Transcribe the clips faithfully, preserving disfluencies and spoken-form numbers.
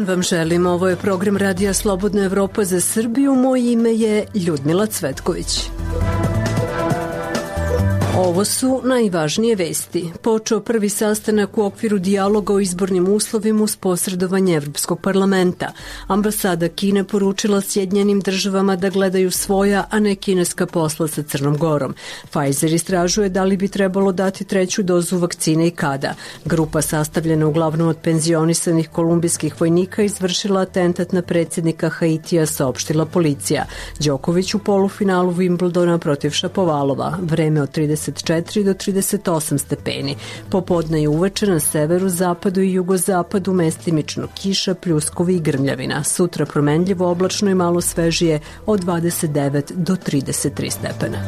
vam želim. Ovo je program Radija Slobodna Evropa za Srbiju. Moje ime je Ljudmila Cvetković. Ovo su najvažnije vesti. Počeo prvi sastanak u okviru dijaloga o izbornim uslovima uz posredovanje Evropskog parlamenta. Ambasada Kine poručila Sjedinjenim državama da gledaju svoja, a ne kineska posla sa Crnom Gorom. Pfizer istražuje da li bi trebalo dati treću dozu vakcine i kada. Grupa sastavljena uglavnom od penzionisanih kolumbijskih vojnika izvršila atentat na predsjednika Haitija, saopštila policija. Đoković u polufinalu Wimbledona protiv Šapovalova. Vreme od trideset četiri do trideset osam stepeni. Popodne i uveče na severu, zapadu i jugozapadu mestimično kiša, pljuskovi i grmljavina. Sutra promenljivo, oblačno i malo svežije od dvadeset devet do trideset tri stepena.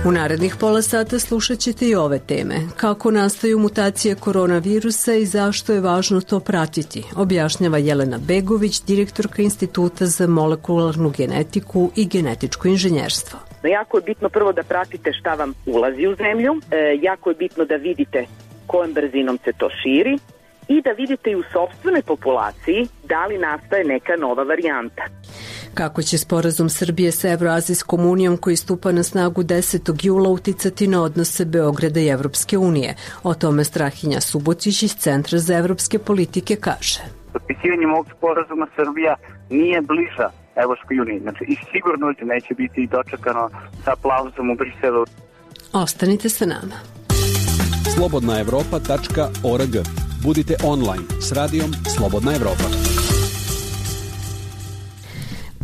U narednih pola sata slušat ćete i ove teme. Kako nastaju mutacije koronavirusa i zašto je važno to pratiti, objašnjava Jelena Begović, direktorka Instituta za molekularnu genetiku i genetičko inženjerstvo. Jako je bitno prvo da pratite šta vam ulazi u zemlju, e, jako je bitno da vidite kojom brzinom se to širi i da vidite i u sopstvenoj populaciji da li nastaje neka nova varijanta. Kako će sporazum Srbije sa Evroazijskom unijom koji stupa na snagu desetog jula uticati na odnose Beograda i Evropske unije? O tome Strahinja Subotić iz Centra za evropske politike kaže. Potpisivanjem ovog sporazuma Srbija nije bliža Evropskoj uniji, znači i sigurno neće biti dočekano sa aplauzom u Briselu. Ostanite sa nama. slobodna evropa tačka org. Budite online s radijom Slobodna Evropa.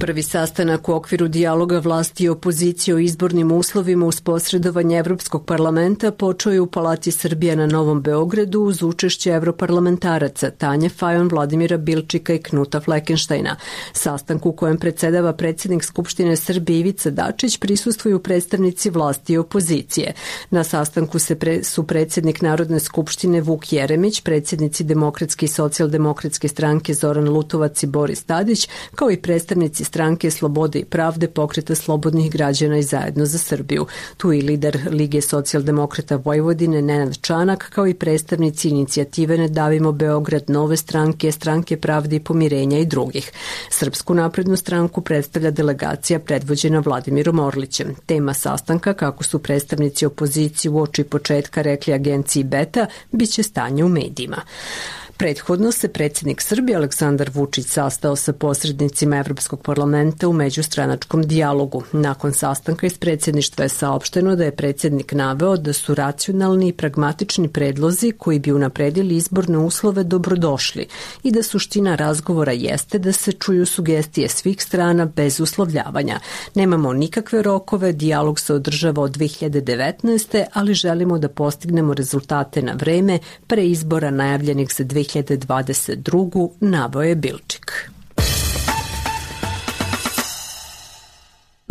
Prvi sastanak u okviru dijaloga vlasti i opozicije o izbornim uslovima uz posredovanje Evropskog parlamenta počeo je u Palati Srbije na Novom Beogradu uz učešće evroparlamentaraca Tanje Fajon, Vladimira Bilčika i Knuta Fleckensteina. Sastanku u kojem predsedava predsjednik Skupštine Srbije Ivica Dačić prisustvuju predstavnici vlasti i opozicije. Na sastanku se pre, su predsjednik Narodne skupštine Vuk Jeremić, predsjednici Demokratske i socijaldemokratske stranke Zoran Lutovac i Boris Tadić, kao i predstavnici stranke Slobode i pravde, Pokreta slobodnih građana i Zajedno za Srbiju. Tu i lider Lige socijaldemokrata Vojvodine Nenad Čanak, kao i predstavnici inicijative Ne davimo Beograd, Nove stranke, Stranke pravde i pomirenja i drugih. Srpsku naprednu stranku predstavlja delegacija predvođena Vladimirom Orlićem. Tema sastanka, kako su predstavnici opozicije uoči početka rekli agenciji Beta, biće stanje u medijima. Prethodno se predsjednik Srbije Aleksandar Vučić sastao sa posrednicima Evropskog parlamenta u međustranačkom dijalogu. Nakon sastanka iz predsjedništva je saopšteno da je predsjednik naveo da su racionalni i pragmatični predlozi koji bi unapredili izborne uslove dobrodošli i da suština razgovora jeste da se čuju sugestije svih strana bez uslovljavanja. Nemamo nikakve rokove, dijalog se održava od dve hiljade devetnaeste. ali želimo da postignemo rezultate na vreme pre izbora najavljenih za dve hiljade dvadeset druge. naveo je Bilčik.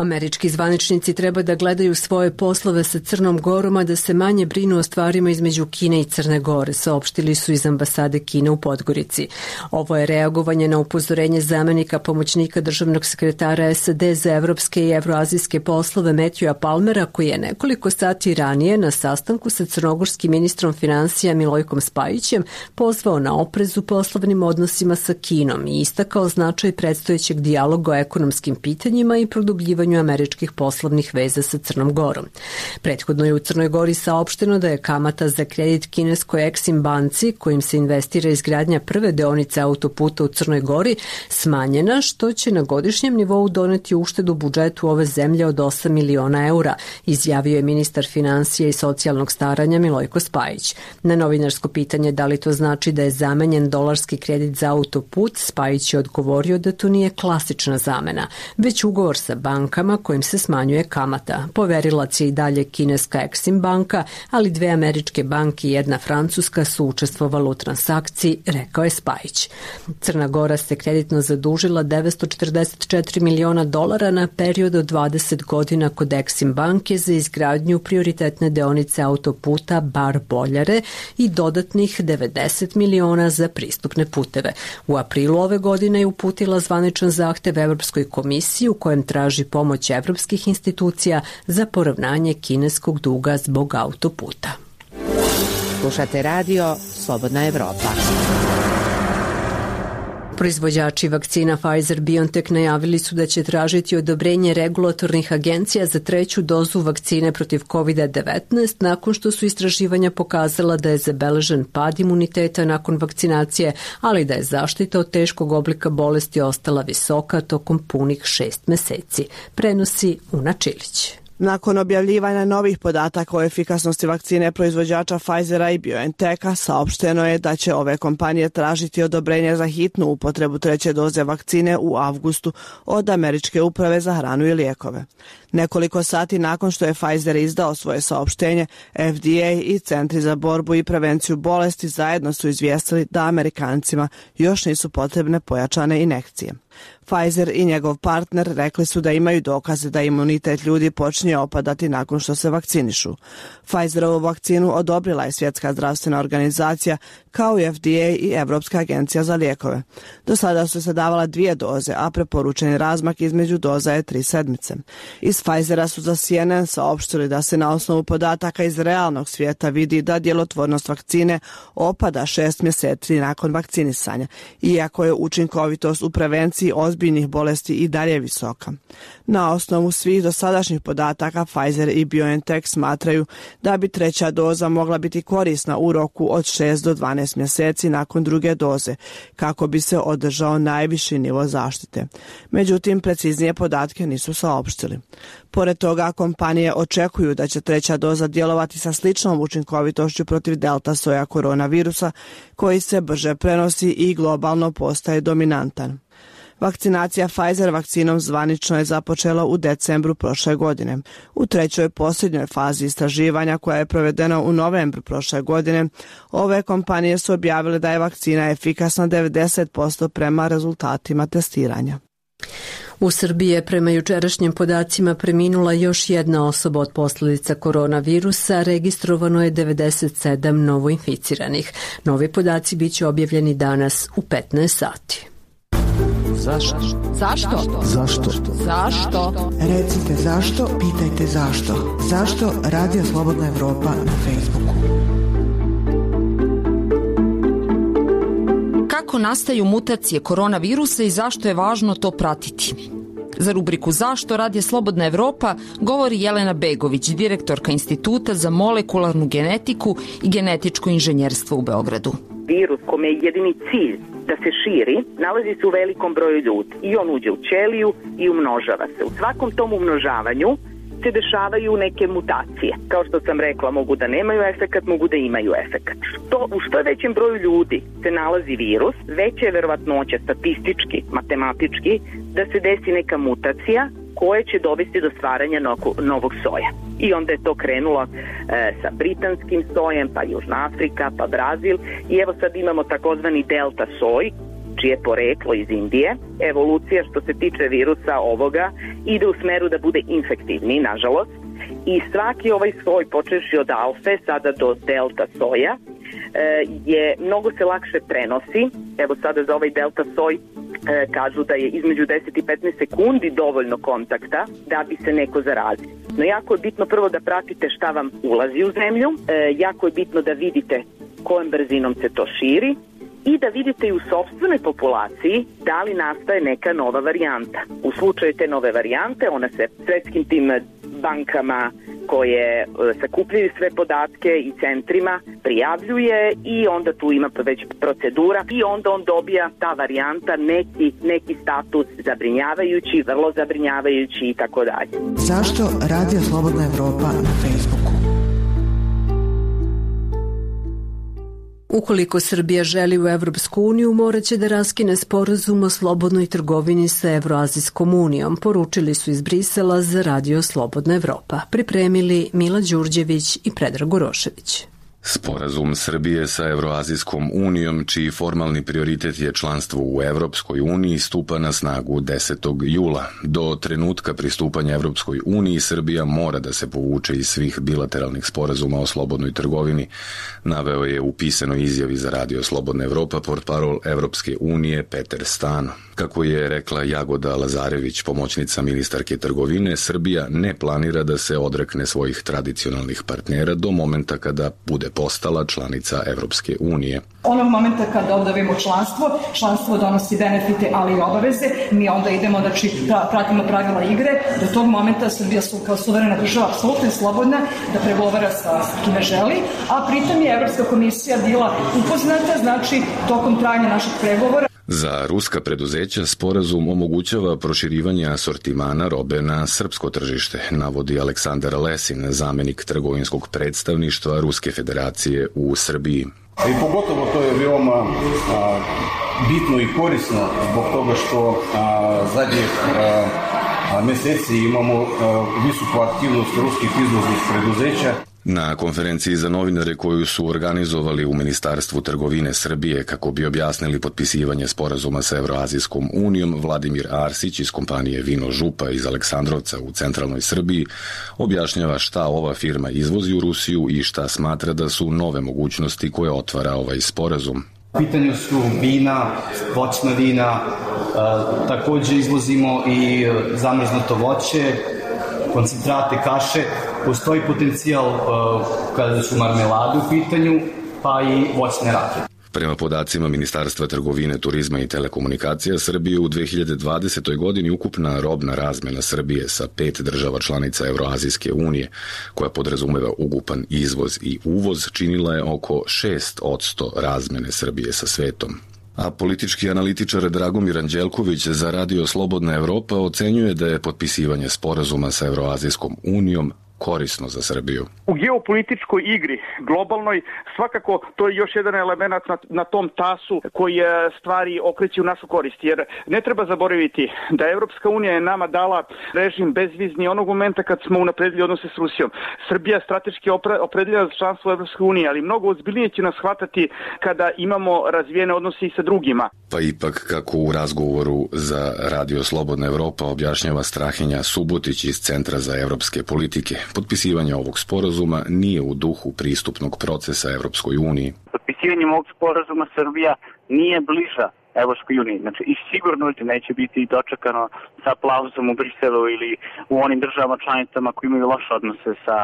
Američki zvaničnici treba da gledaju svoje poslove sa Crnom Gorom, a da se manje brinu o stvarima između Kine i Crne Gore, saopštili su iz ambasade Kine u Podgorici. Ovo je reagovanje na upozorenje zamenika pomoćnika državnog sekretara S A D za evropske i evroazijske poslove Matthewa Palmera, koji je nekoliko sati ranije na sastanku sa crnogorskim ministrom finansija Milojkom Spajićem pozvao na oprez u poslovnim odnosima sa Kinom i istakao značaj predstojećeg dijaloga o ekonomskim pitanjima i produbljivanju američkih poslovnih veza sa Crnom Gorom. Prethodno je u Crnoj Gori saopšteno da je kamata za kredit kineskoj Exim banci, kojim se investira izgradnja prve deonice autoputa u Crnoj Gori, smanjena, što će na godišnjem nivou doneti uštedu budžetu ove zemlje od osam miliona eura, izjavio je ministar finansija i socijalnog staranja Milojko Spajić. Na novinarsko pitanje da li to znači da je zamenjen dolarski kredit za autoput, Spajić je odgovorio da to nije klasična zamena, već ugovor sa bankom kojim se smanjuje kamata. Poverilac je i dalje kineska Exim banka, ali dve američke banke i jedna francuska su učestvovali u transakciji, rekao je Spajić. Crna Gora se kreditno zadužila devetsto četrdeset četiri miliona dolara na period od dvadeset godina kod Exim banke za izgradnju prioritetne deonice autoputa Bar-Boljare i dodatnih devedeset miliona za pristupne puteve. U aprilu ove godine je uputila zvaničan zahtev Evropskoj komisiji u kojem traži pomoć evropskih institucija za poravnanje kineskog duga zbog autoputa. Slušate radio Slobodna Evropa. Proizvođači vakcina Pfizer-BioNTech najavili su da će tražiti odobrenje regulatornih agencija za treću dozu vakcine protiv kovid devetnaest nakon što su istraživanja pokazala da je zabeležen pad imuniteta nakon vakcinacije, ali da je zaštita od teškog oblika bolesti ostala visoka tokom punih šest meseci. Prenosi Una Čilić. Nakon objavljivanja novih podataka o efikasnosti vakcine proizvođača Pfizera i BioNTecha, saopšteno je da će ove kompanije tražiti odobrenje za hitnu upotrebu treće doze vakcine u avgustu od Američke uprave za hranu i lijekove. Nekoliko sati nakon što je Pfizer izdao svoje saopštenje, F D A i Centri za borbu i prevenciju bolesti zajedno su izvijestili da Amerikancima još nisu potrebne pojačane injekcije. Pfizer i njegov partner rekli su da imaju dokaze da imunitet ljudi počinje opadati nakon što se vakcinišu. Pfizerovu vakcinu odobrila je Svjetska zdravstvena organizacija kao i F D A i Evropska agencija za lijekove. Do sada su se davala dvije doze, a preporučeni razmak između doza je tri sedmice. Iz Pfizera su za C N N saopštili da se na osnovu podataka iz realnog svijeta vidi da djelotvornost vakcine opada šest mjeseci nakon vakcinisanja, iako je učinkovitost u prevenciji ozbiljnih bolesti i dalje visoka. Na osnovu svih dosadašnjih podataka Pfizer i BioNTech smatraju da bi treća doza mogla biti korisna u roku od šest do dvanaest mjeseci nakon druge doze, kako bi se održao najviši nivo zaštite. Međutim, preciznije podatke nisu saopštili. Pored toga, kompanije očekuju da će treća doza djelovati sa sličnom učinkovitošću protiv delta soja koronavirusa, koji se brže prenosi i globalno postaje dominantan. Vakcinacija Pfizer vakcinom zvanično je započela u decembru prošle godine. U trećoj posljednjoj fazi istraživanja koja je provedena u novembru prošle godine, ove kompanije su objavile da je vakcina efikasna devedeset posto prema rezultatima testiranja. U Srbiji je prema jučerašnjim podacima preminula još jedna osoba od posljedica koronavirusa, registrovano je devedeset sedam novoinficiranih. Novi podaci biće objavljeni danas u petnaest sati. Zašto? Zašto? Zašto? Zašto? Recite zašto, pitajte zašto. Zašto Radio Slobodna Evropa na Facebooku? Kako nastaju mutacije koronavirusa i zašto je važno to pratiti? Za rubriku Zašto Radio Slobodna Evropa govori Jelena Begović, direktorka Instituta za molekularnu genetiku i genetičko inženjerstvo u Beogradu. Virus kome je jedini cilj da se širi, nalazi se u velikom broju ljudi i on uđe u ćeliju i umnožava se. U svakom tom umnožavanju se dešavaju neke mutacije. Kao što sam rekla, mogu da nemaju efekat, mogu da imaju efekat. Što, u što većem broju ljudi se nalazi virus, veća je verovatnoća statistički, matematički, da se desi neka mutacija koje će dovesti do stvaranja novog soja. I onda je to krenulo e, sa britanskim sojem, pa Južna Afrika, pa Brazil i evo sad imamo takozvani delta soj, čije poreklo iz Indije. Evolucija što se tiče virusa ovoga ide u smeru da bude infektivni, nažalost. I svaki ovaj soj, počeši od alfe, sada do delta soja, je mnogo se lakše prenosi. Evo sada za ovaj delta soj kažu da je između deset i petnaest sekundi dovoljno kontakta da bi se neko zarazio. No jako je bitno prvo da pratite šta vam ulazi u zemlju, jako je bitno da vidite kojom brzinom se to širi i da vidite i u sopstvenoj populaciji da li nastaje neka nova varijanta. U slučaju te nove varijante, ona se svetskim tim bankama koje sakupljaju sve podatke i centrima prijavljuje i onda tu ima već procedura i onda on dobija ta varijanta neki, neki status zabrinjavajući, vrlo zabrinjavajući i tako dalje. Zašto Radio Slobodna Evropa na Facebooku? Ukoliko Srbija želi u Evropsku uniju, morat će da raskine sporazum o slobodnoj trgovini sa Evroazijskom unijom, poručili su iz Brisela za Radio Slobodna Evropa. Pripremili Mila Đurđević i Predrag Urošević. Sporazum Srbije sa Evroazijskom unijom, čiji formalni prioritet je članstvo u Evropskoj uniji, stupa na snagu desetog jula. Do trenutka pristupanja Evropskoj uniji Srbija mora da se povuče iz svih bilateralnih sporazuma o slobodnoj trgovini, naveo je u pisanoj izjavi za Radio Slobodna Evropa portparol Evropske unije Peter Stano. Kako je rekla Jagoda Lazarević, pomoćnica ministarke trgovine, Srbija ne planira da se odrekne svojih tradicionalnih partnera do momenta kada bude bude postala članica Evropske unije. Onog momenta kada obavimo članstvo, članstvo donosi benefite, ali i obaveze, mi onda idemo, znači pratimo pravila igre, do tog momenta Srbija su kao suverena država apsolutno je slobodna da pregovara sa kime želi, a pritom je Evropska komisija bila upoznata, znači tokom trajanja naših pregovora. Za ruska preduzeća sporazum omogućava proširivanje asortimana robe na srpsko tržište, navodi Aleksandar Lesin, zamenik trgovinskog predstavništva Ruske federacije u Srbiji. I pogotovo to je veoma a, bitno i korisno zbog toga što a, zadnjih a, a, meseci imamo a, visoku aktivnost ruskih izvoznih preduzeća. Na konferenciji za novinare koju su organizovali u Ministarstvu trgovine Srbije kako bi objasnili potpisivanje sporazuma sa Evroazijskom unijom, Vladimir Arsić iz kompanije Vino Župa iz Aleksandrovca u centralnoj Srbiji objašnjava šta ova firma izvozi u Rusiju i šta smatra da su nove mogućnosti koje otvara ovaj sporazum. U pitanju su vina, voćna vina, e, takođe izvozimo i zamrznuto voće, koncentrate, kaše, postoji potencijal uh, kada su marmelade u pitanju, pa i voćne rakije. Prema podacima Ministarstva trgovine, turizma i telekomunikacija Srbije u dve hiljade dvadesetoj. godini ukupna robna razmena Srbije sa pet država članica Evroazijske unije, koja podrazumeva ukupan izvoz i uvoz, činila je oko šest posto razmene Srbije sa svetom. A politički analitičar Dragomir Anđelković za Radio Slobodna Evropa ocenjuje da je potpisivanje sporazuma sa Evroazijskom unijom korisno za Srbiju. U geopolitičkoj igri, globalnoj, svakako to je još jedan element na, na tom tasu koji stvari okreće u našu korist. Jer ne treba zaboraviti da Evropska unija je nama dala režim bezvizni onog momenta kad smo unapredili odnose s Rusijom. Srbija je strateški opredeljena za članstvo Evropske unije, ali mnogo ozbiljnije će nas shvatati kada imamo razvijene odnose i sa drugima. Pa ipak, kako u razgovoru za Radio Slobodna Evropa objašnjava Strahinja Subotić iz Centra za evropske politike, potpisivanje ovog sporazuma nije u duhu pristupnog procesa Evropskoj uniji. Potpisivanjem ovog sporazuma Srbija nije bliža Evropskoj uniji. Znači, i sigurno neće biti dočekano sa aplauzom u Briselu ili u onim državama članicama koji imaju loše odnose sa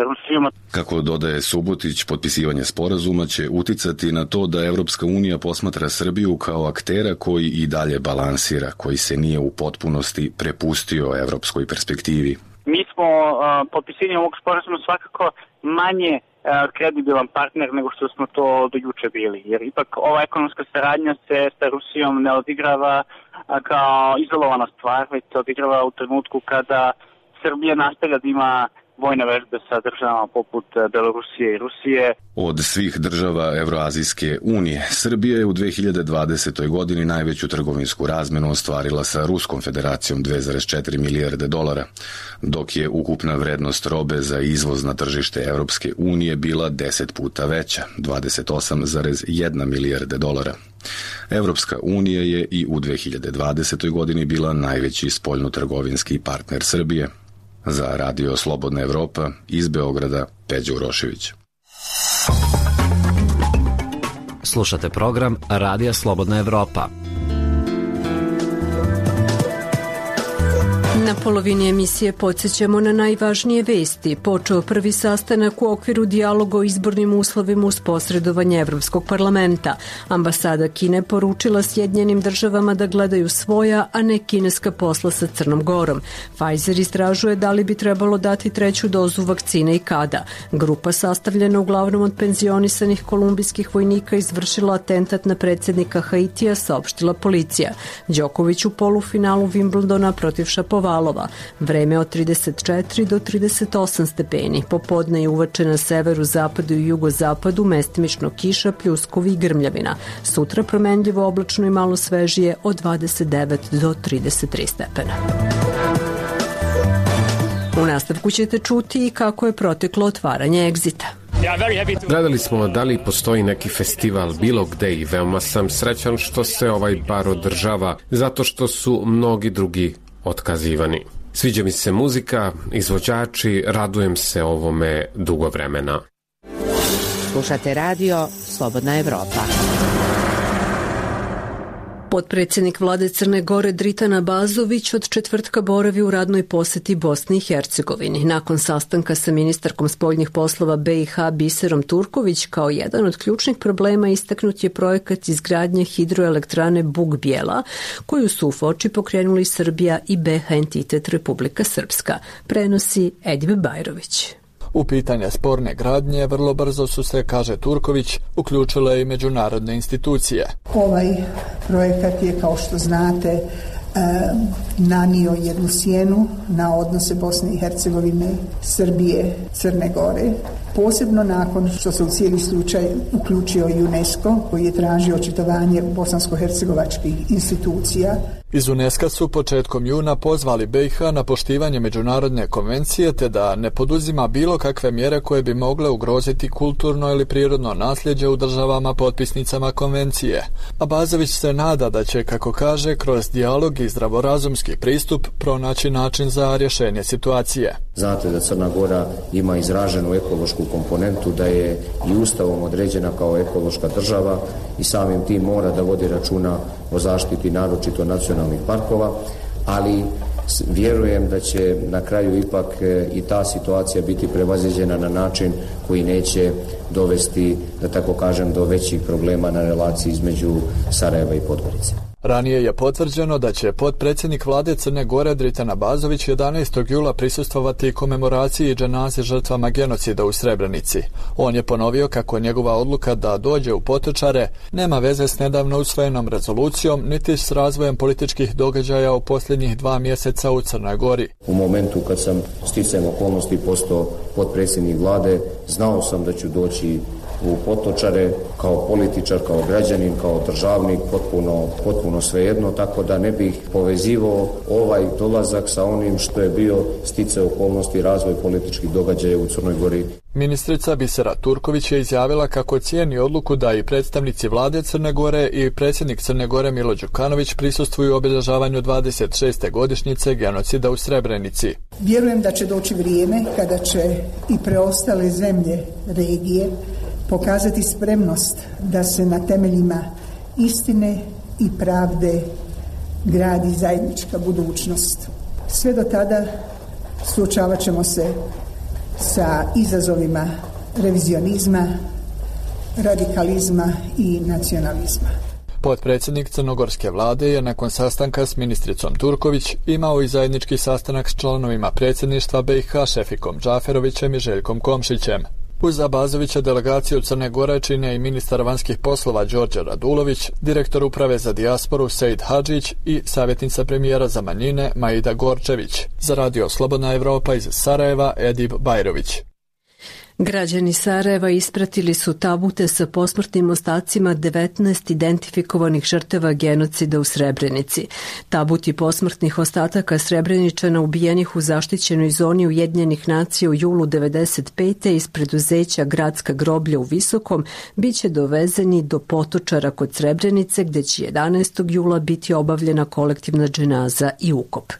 Rusijom. Kako dodaje Subotić, potpisivanje sporazuma će uticati na to da Evropska unija posmatra Srbiju kao aktera koji i dalje balansira, koji se nije u potpunosti prepustio evropskoj perspektivi. Mi smo uh, potpisivanjem ovog sporazuma svakako manje uh, kredibilan partner nego što smo to do juče bili. Jer ipak ova ekonomska saradnja se sa Rusijom ne odigrava uh, kao izolovana stvar, već se odigrava u trenutku kada Srbija nastavlja da ima vojne vežbe sa državama poput Belorusije i Rusije. Od svih država Evroazijske unije, Srbija je u dve hiljade dvadesetoj. godini najveću trgovinsku razmenu ostvarila sa Ruskom federacijom dve zarez četiri milijarde dolara, dok je ukupna vrednost robe za izvoz na tržište Evropske unije bila deset puta veća, dvadeset osam zarez jedna milijarde dolara. Evropska unija je i u dve hiljade dvadesetoj. godini bila najveći spoljnotrgovinski partner Srbije. Za Radio Slobodna Evropa iz Beograda, Peđa Urošević. Slušate program Radija Slobodna Evropa. Na polovini emisije podsjećamo na najvažnije vesti. Počeo prvi sastanak u okviru dijaloga o izbornim uslovima uz posredovanje Evropskog parlamenta. Ambasada Kine poručila Sjedinjenim državama da gledaju svoja, a ne kineska posla sa Crnom Gorom. Pfizer istražuje da li bi trebalo dati treću dozu vakcine i kada. Grupa sastavljena uglavnom od penzionisanih kolumbijskih vojnika izvršila atentat na predsjednika Haitija, saopštila policija. Đoković u polufinalu Wimbledona protiv Šapovalova. Vreme od trideset četiri do trideset osam stepeni. Popodne je uveče na severu, zapadu i jugozapadu mestimično kiša, pljuskovi i grmljavina. Sutra promenljivo, oblačno i malo svežije od dvadeset devet do trideset tri stepena. U nastavku ćete čuti i kako je proteklo otvaranje Egzita. Gledali smo da li postoji neki festival bilo gde i veoma sam srećan što se ovaj bar održava, zato što su mnogi drugi otkazivani. Sviđa mi se muzika, izvođači, radujem se ovome dugo vremena. Slušate radio Slobodna Evropa. Potpredsjednik vlade Crne Gore Dritan Abazović od četvrtka boravi u radnoj poseti Bosni i Hercegovini. Nakon sastanka sa ministarkom spoljnih poslova B i H Biserom Turković, kao jedan od ključnih problema istaknut je projekat izgradnje hidroelektrane Bug Bijela, koju su u Foči pokrenuli Srbija i B H entitet Republika Srpska, prenosi Edip Bajrović. U pitanje sporne gradnje vrlo brzo su se, kaže Turković, uključile i međunarodne institucije. Ovaj projekat je, kao što znate, nanio jednu sjenu na odnose Bosne i Hercegovine, Srbije, Crne Gore. Posebno nakon što se u cijeli slučaj uključio i UNESCO, koji je tražio očitovanje bosansko-hercegovačkih institucija. Iz UNESCO su početkom juna pozvali B i H na poštivanje međunarodne konvencije te da ne poduzima bilo kakve mjere koje bi mogle ugroziti kulturno ili prirodno nasljeđe u državama potpisnicama konvencije. Abazović se nada da će, kako kaže, kroz dijalog i zdravorazumski pristup pronaći način za rješenje situacije. Znate da Crna Gora ima izraženu ekološku komponentu, da je i ustavom određena kao ekološka država i samim tim mora da vodi računa o zaštiti naročito nacionalnih parkova, ali vjerujem da će na kraju ipak i ta situacija biti prevaziđena na način koji neće dovesti, da tako kažem, do većih problema na relaciji između Sarajeva i Podgorice. Ranije je potvrđeno da će potpredsjednik vlade Crne Gore Dritan Abazović jedanaestog jula prisustvovati komemoraciji i dženazi žrtvama genocida u Srebrenici. On je ponovio kako njegova odluka da dođe u Potočare nema veze s nedavno usvojenom rezolucijom niti s razvojem političkih događaja u posljednjih dva mjeseca u Crnoj Gori. U momentu kad sam sticajem okolnosti postao potpredsjednik vlade, znao sam da ću doći u Potočare kao političar, kao građanin, kao državnik, potpuno, potpuno svejedno, tako da ne bih povezivao ovaj dolazak sa onim što je bio sticaj okolnosti i razvoj političkih događaja u Crnoj Gori. Ministrica Bisera Turković je izjavila kako cijeni odluku da i predstavnici vlade Crne Gore i predsjednik Crne Gore Milo Đukanović prisustvuju obilježavanju dvadeset šeste godišnjice genocida u Srebrenici. Vjerujem da će doći vrijeme kada će i preostale zemlje regije pokazati spremnost da se na temeljima istine i pravde gradi zajednička budućnost. Sve do tada suočavat ćemo se sa izazovima revizionizma, radikalizma i nacionalizma. Potpredsjednik crnogorske vlade je nakon sastanka s ministricom Turković imao i zajednički sastanak s članovima predsjedništva B i H Šefikom Džaferovićem i Željkom Komšićem. Uz Abazovića delegaciju Crne Gore čine i ministar vanjskih poslova Đorđe Radulović, direktor uprave za dijasporu Sejid Hadžić i savjetnica premijera za manjine Maida Gorčević. Za radio Slobodna Evropa iz Sarajeva Edip Bajrović. Građani Sarajeva ispratili su tabute sa posmrtnim ostacima devetnaest identifikovanih žrtava genocida u Srebrenici. Tabuti posmrtnih ostataka Srebreničana ubijenih u zaštićenoj zoni Ujedinjenih nacija u julu devedeset pete iz preduzeća Gradska groblja u Visokom biće dovezeni do Potočara kod Srebrenice, gde će jedanaestog jula biti obavljena kolektivna dženaza i ukop.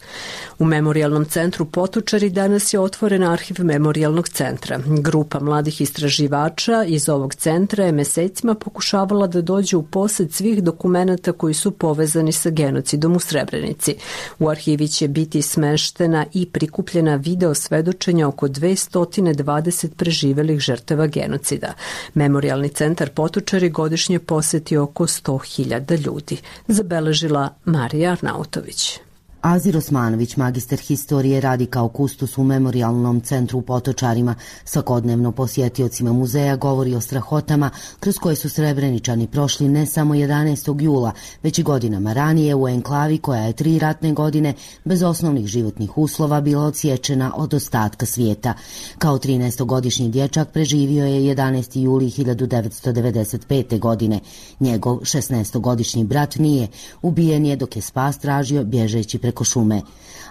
U memorijalnom centru Potočari danas je otvoren arhiv memorijalnog centra. Grupa mladih istraživača iz ovog centra je mesecima pokušavala da dođe u posed svih dokumenata koji su povezani sa genocidom u Srebrenici. U arhivi će biti smeštena i prikupljena video svedočenja oko dvesta dvadeset preživelih žrtava genocida. Memorijalni centar Potočari godišnje poseti oko sto hiljada ljudi, zabeležila Marija Arnautović. Azir Osmanović, magister historije, radi kao kustos u memorijalnom centru u Potočarima. Svakodnevno posjetiocima muzeja govori o strahotama kroz koje su Srebreničani prošli ne samo jedanaestog jula, već i godinama ranije u enklavi koja je tri ratne godine bez osnovnih životnih uslova bila odsječena od ostatka svijeta. Kao trinaestogodišnji dječak preživio je jedanaesti juli hiljadu devetsto devedeset pete. godine. Njegov šesnaestogodišnji brat nije. Ubijen je dok je spas tražio bježeći preko šume.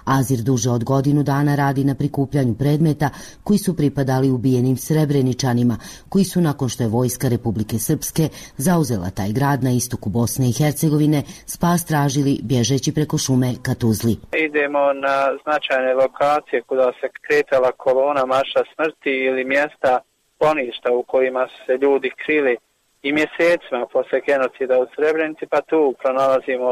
Azir duže od godinu dana radi na prikupljanju predmeta koji su pripadali ubijenim Srebreničanima, koji su nakon što je vojska Republike Srpske zauzela taj grad na istoku Bosne i Hercegovine, spas tražili bježeći preko šume ka Tuzli. Idemo na značajne lokacije kuda se kretala kolona marša smrti ili mjesta skloništa u kojima su se ljudi krili i mjesecima posle genocida u Srebrenici, pa tu pronalazimo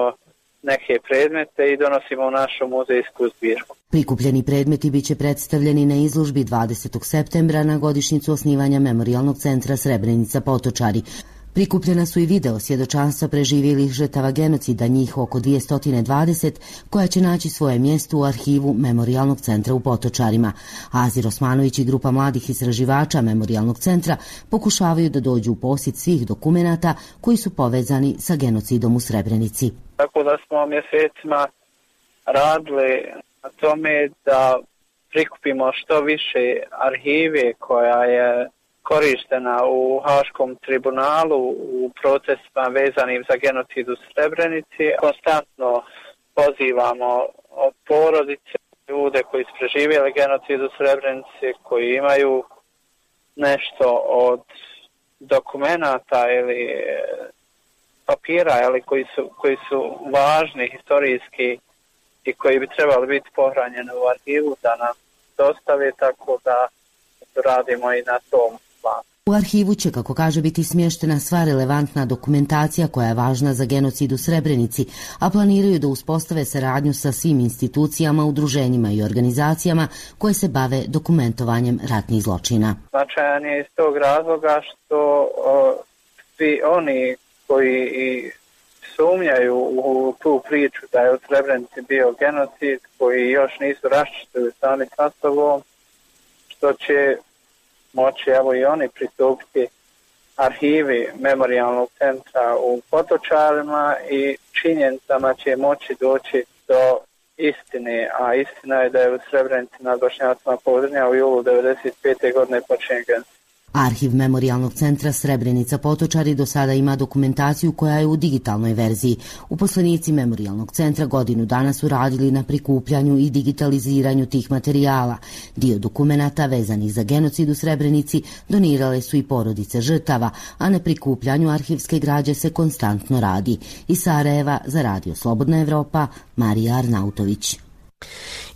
neke predmete i donosimo u našu muzejsku zbirku. Prikupljeni predmeti biće predstavljeni na izložbi dvadesetog septembra na godišnjicu osnivanja Memorijalnog centra Srebrenica Potočari. Prikupljena su i video svjedočanstva preživjelih žrtava genocida, njih oko dvjesto dvadeset, koja će naći svoje mjesto u arhivu Memorijalnog centra u Potočarima. Azir Osmanović i grupa mladih istraživača Memorijalnog centra pokušavaju da dođu u posjed svih dokumenata koji su povezani sa genocidom u Srebrenici. Tako da smo mjesecima radili na tome da prikupimo što više arhive koja je korištena u Haškom tribunalu u procesima vezanim za genocid u Srebrenici. Konstantno pozivamo od porodice ljude koji su preživjeli genocid u Srebrenici, koji imaju nešto od dokumenata ili papira ili koji su, koji su važni historijski i koji bi trebali biti pohranjeni u arhivu da nam dostave, tako da radimo i na tom. U arhivu će, kako kaže, biti smještena sva relevantna dokumentacija koja je važna za genocid u Srebrenici, a planiraju da uspostave saradnju sa svim institucijama, udruženjima i organizacijama koje se bave dokumentovanjem ratnih zločina. Značajan je iz tog razloga što o, svi oni koji sumnjaju u tu priču da je u Srebrenici bio genocid, koji još nisu raščistili sami sa sobom, što će moći evo i oni pristupiti arhivi Memorijalnog centra u Potočarima i činjenicama će moći doći do istine, a istina je da je u Srebrenici nad Bošnjacima Podrinja u julu devedeset pete godine počinjen genocid. Arhiv Memorijalnog centra Srebrenica Potočari do sada ima dokumentaciju koja je u digitalnoj verziji. Uposlenici Memorijalnog centra godinu dana su radili na prikupljanju i digitaliziranju tih materijala. Dio dokumenata vezanih za genocid u Srebrenici donirale su i porodice žrtava, a na prikupljanju arhivske građe se konstantno radi. Iz Sarajeva za Radio Slobodna Evropa, Marija Arnautović.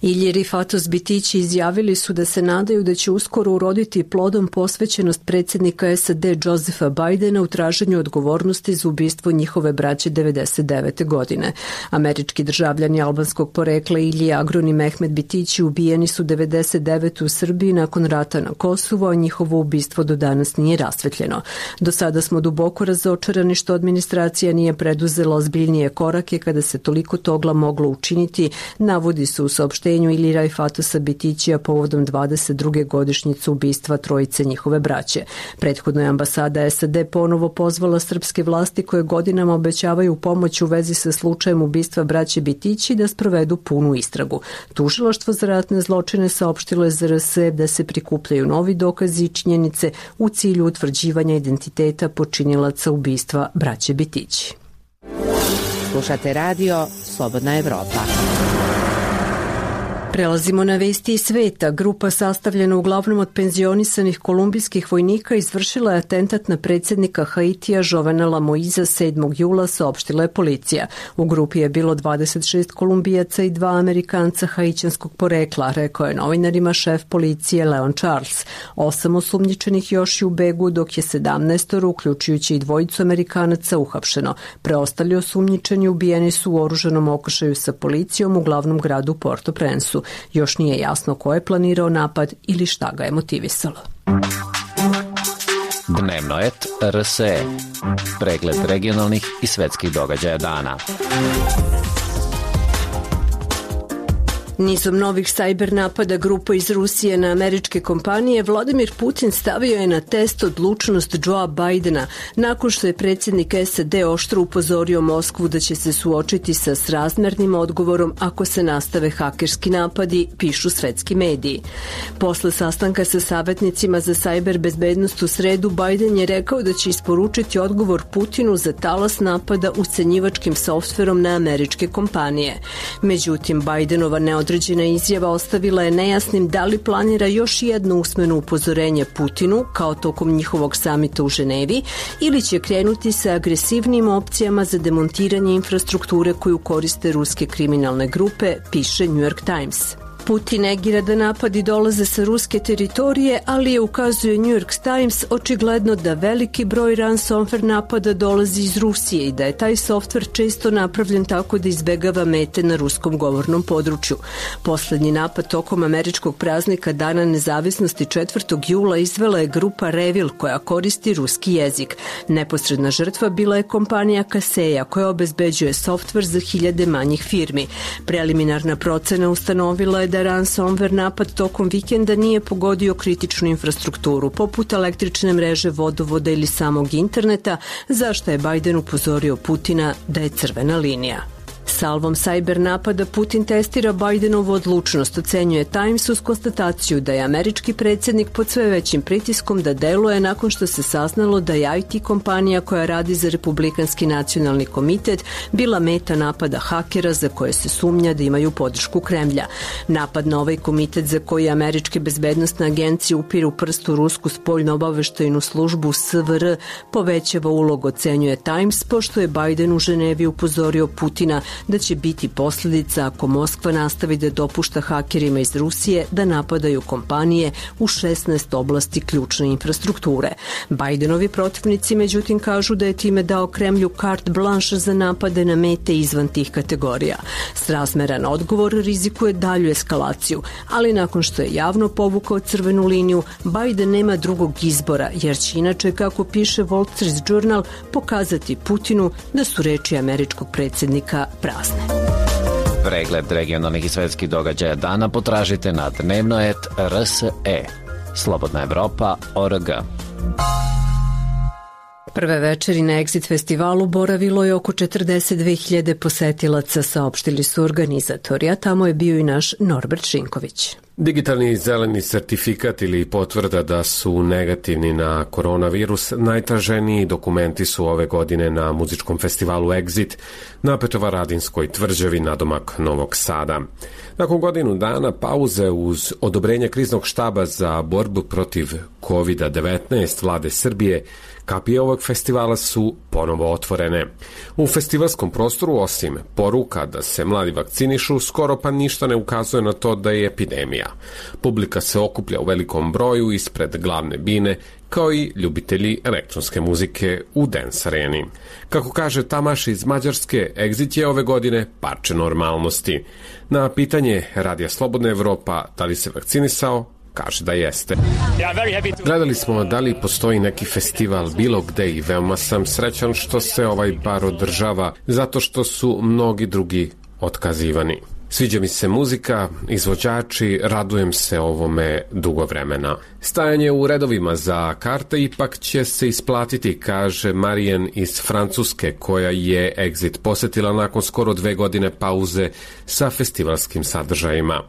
Ilji Rifatos Bitići izjavili su da se nadaju da će uskoro uroditi plodom posvećenost predsjednika S A D Josepha Bidena u traženju odgovornosti za ubistvo njihove braće devedeset devete godine. Američki državljani albanskog porekla Ilji Agron i Mehmet Bitići ubijeni su devedeset devete u Srbiji nakon rata na Kosovu, a njihovo ubistvo do danas nije rasvetljeno. Do sada smo duboko razočarani što administracija nije preduzela ozbiljnije korake kada se toliko toga moglo učiniti, navodi se u saopštenju ili Rifatosa Bitićija povodom dvadeset druge godišnjice ubistva trojice njihove braće. Prethodno je ambasada S A D ponovo pozvala srpske vlasti koje godinama obećavaju pomoć u vezi sa slučajem ubistva braće Bitići da sprovedu punu istragu. Tužilaštvo za ratne zločine saopštilo je Z R S da se prikupljaju novi dokazi i činjenice u cilju utvrđivanja identiteta počinilaca ubistva braće Bitići. Slušate radio Slobodna Evropa. Prelazimo na vesti iz sveta. Grupa sastavljena uglavnom od penzionisanih kolumbijskih vojnika izvršila je atentat na predsjednika Haitija Jovenela Moiza sedmog jula, saopštila je policija. U grupi je bilo dvadeset šest Kolumbijaca i dva Amerikanca haićanskog porekla, rekao je novinarima šef policije Leon Charles. Osam osumnjičenih još je u begu, dok je sedamnaestoro, uključujući i dvojicu Amerikanaca, uhapšeno. Preostali osumnjičeni ubijeni su u oružanom okršaju sa policijom u glavnom gradu Port-au-Prince-u. Još nije jasno ko je planirao napad ili šta ga je motivisalo. Dnevnoet R S E. Pregled regionalnih i svetskih događaja dana. Nizom novih sajber napada grupa iz Rusije na američke kompanije, Vladimir Putin stavio je na test odlučnost Joea Bidena nakon što je predsjednik S A D oštro upozorio Moskvu da će se suočiti sa srazmernim odgovorom ako se nastave hakerski napadi, pišu svetski mediji. Posle sastanka sa savjetnicima za sajber bezbednost u sredu, Biden je rekao da će isporučiti odgovor Putinu za talas napada ucenjivačkim softverom na američke kompanije. Međutim, Bidenova neodređena Određena izjava ostavila je nejasnim da li planira još jedno usmeno upozorenje Putinu, kao tokom njihovog samita u Ženevi, ili će krenuti sa agresivnim opcijama za demontiranje infrastrukture koju koriste ruske kriminalne grupe, piše New York Times. Putin negira da napadi dolaze sa ruske teritorije, ali je, ukazuje New York Times, očigledno da veliki broj ransomware napada dolazi iz Rusije i da je taj softver često napravljen tako da izbegava mete na ruskom govornom području. Poslednji napad tokom američkog praznika Dana nezavisnosti četvrtog jula izvela je grupa Revil koja koristi ruski jezik. Neposredna žrtva bila je kompanija Kaseya koja obezbeđuje softver za hiljade manjih firmi. Preliminarna procena ustanovila je da ransomware napad tokom vikenda nije pogodio kritičnu infrastrukturu, poput električne mreže, vodovoda ili samog interneta, za što je Biden upozorio Putina da je crvena linija. Salvom sajber napada Putin testira Bidenovu odlučnost, ocenjuje Times uz konstataciju da je američki predsjednik pod sve većim pritiskom da deluje nakon što se saznalo da je I T kompanija koja radi za Republikanski nacionalni komitet bila meta napada hakera za koje se sumnja da imaju podršku Kremlja. Napad na ovaj komitet za koji američke bezbednostne agencije upiru prst u rusku spoljno-obaveštajnu službu S V R povećava ulogu, ocenjuje Times, pošto je Biden u Ženevi upozorio Putina da će biti posljedica ako Moskva nastavi da dopušta hakerima iz Rusije da napadaju kompanije u šesnaest oblasti ključne infrastrukture. Bidenovi protivnici međutim kažu da je time dao Kremlju carte blanche za napade na mete izvan tih kategorija. Srazmeran odgovor rizikuje dalju eskalaciju, ali nakon što je javno povukao crvenu liniju, Biden nema drugog izbora, jer će inače, kako piše Wall Street Journal, pokazati Putinu da su reči američkog predsjednika prazne. Pregled regionalnih i svetskih događaja dana potražite na dnevnoet R S E. Slobodna Evropa точка org. Prve večeri na Exit festivalu boravilo je oko četrdeset dve hiljade posetilaca, saopštili su organizatori, a tamo je bio i naš Norbert Šinković. Digitalni zeleni sertifikat ili potvrda da su negativni na koronavirus najtraženiji dokumenti su ove godine na muzičkom festivalu Exit na Petrovaradinskoj tvrđavi nadomak Novog Sada. Nakon godinu dana pauze uz odobrenje kriznog štaba za borbu protiv kovid devetnaest vlade Srbije, kapije ovog festivala su ponovo otvorene. U festivalskom prostoru, osim poruka da se mladi vakcinišu, skoro pa ništa ne ukazuje na to da je epidemija. Publika se okuplja u velikom broju ispred glavne bine, kao i ljubitelji elektronske muzike u Dance Areni. Kako kaže Tamaš iz Mađarske, Exit je ove godine parče normalnosti. Na pitanje Radija Slobodna Evropa da li se vakcinisao, kaže da jeste. Gledali smo da li postoji neki festival bilo gde i veoma sam srećan što se ovaj bar održava, zato što su mnogi drugi otkazivani. Sviđa mi se muzika, izvođači, radujem se ovome dugo vremena. Stajanje u redovima za karte ipak će se isplatiti, kaže Marijen iz Francuske, koja je Exit posetila nakon skoro dve godine pauze sa festivalskim sadržajima.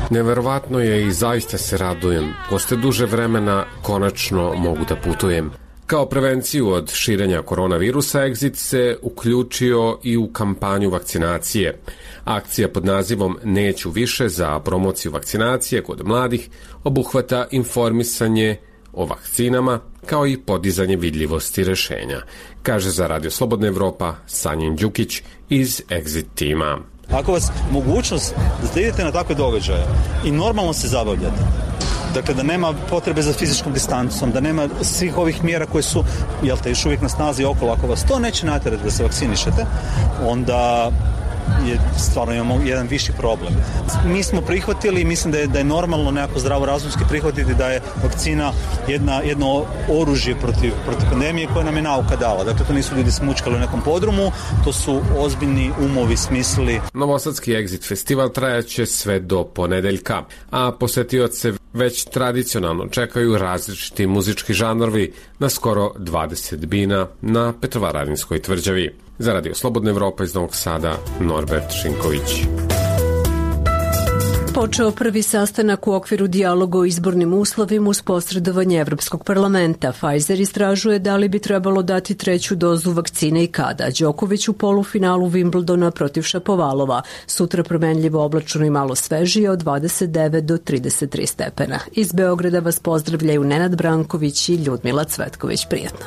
Neverovatno je i zaista se radujem. Posle duže vremena konačno mogu da putujem. Kao prevenciju od širenja koronavirusa, Exit se uključio i u kampanju vakcinacije. Akcija pod nazivom Neću više za promociju vakcinacije kod mladih obuhvata informisanje o vakcinama kao i podizanje vidljivosti rešenja, kaže za Radio Slobodna Evropa Sanjin Đukić iz Exit tima. Ako vas mogućnost da idete na takve događaje i normalno se zabavljate, dakle da nema potrebe za fizičkom distancom, da nema svih ovih mjera koje su, jel te, još uvijek na snazi okolo, ako vas to neće natjerati da se vakcinišete, onda je stvarno imamo jedan viši problem. Mi smo prihvatili i mislim da je, da je normalno nekako zdravorazumski prihvatiti da je vakcina jedna, jedno oružje protiv, protiv pandemije koje nam je nauka dala. Dakle, to nisu ljudi smučkali u nekom podrumu, to su ozbiljni umovi smislili. Novosadski Exit festival trajaće sve do ponedeljka, a posetioce već tradicionalno čekaju različiti muzički žanrovi na skoro dvadeset bina na Petrovaradinskoj tvrđavi. Za Radio Slobodna Evropa iz Novog Sada, Norbert Šinković. Počeo prvi sastanak u okviru dijaloga o izbornim uslovima uz posredovanje Evropskog parlamenta. Pfizer istražuje da li bi trebalo dati treću dozu vakcine i kada. Đoković u polufinalu Wimbledona protiv Šapovalova. Sutra promenljivo oblačno i malo svežije od dvadeset devet do trideset tri stepena. Iz Beograda vas pozdravljaju Nenad Branković i Ljudmila Cvetković. Prijetno.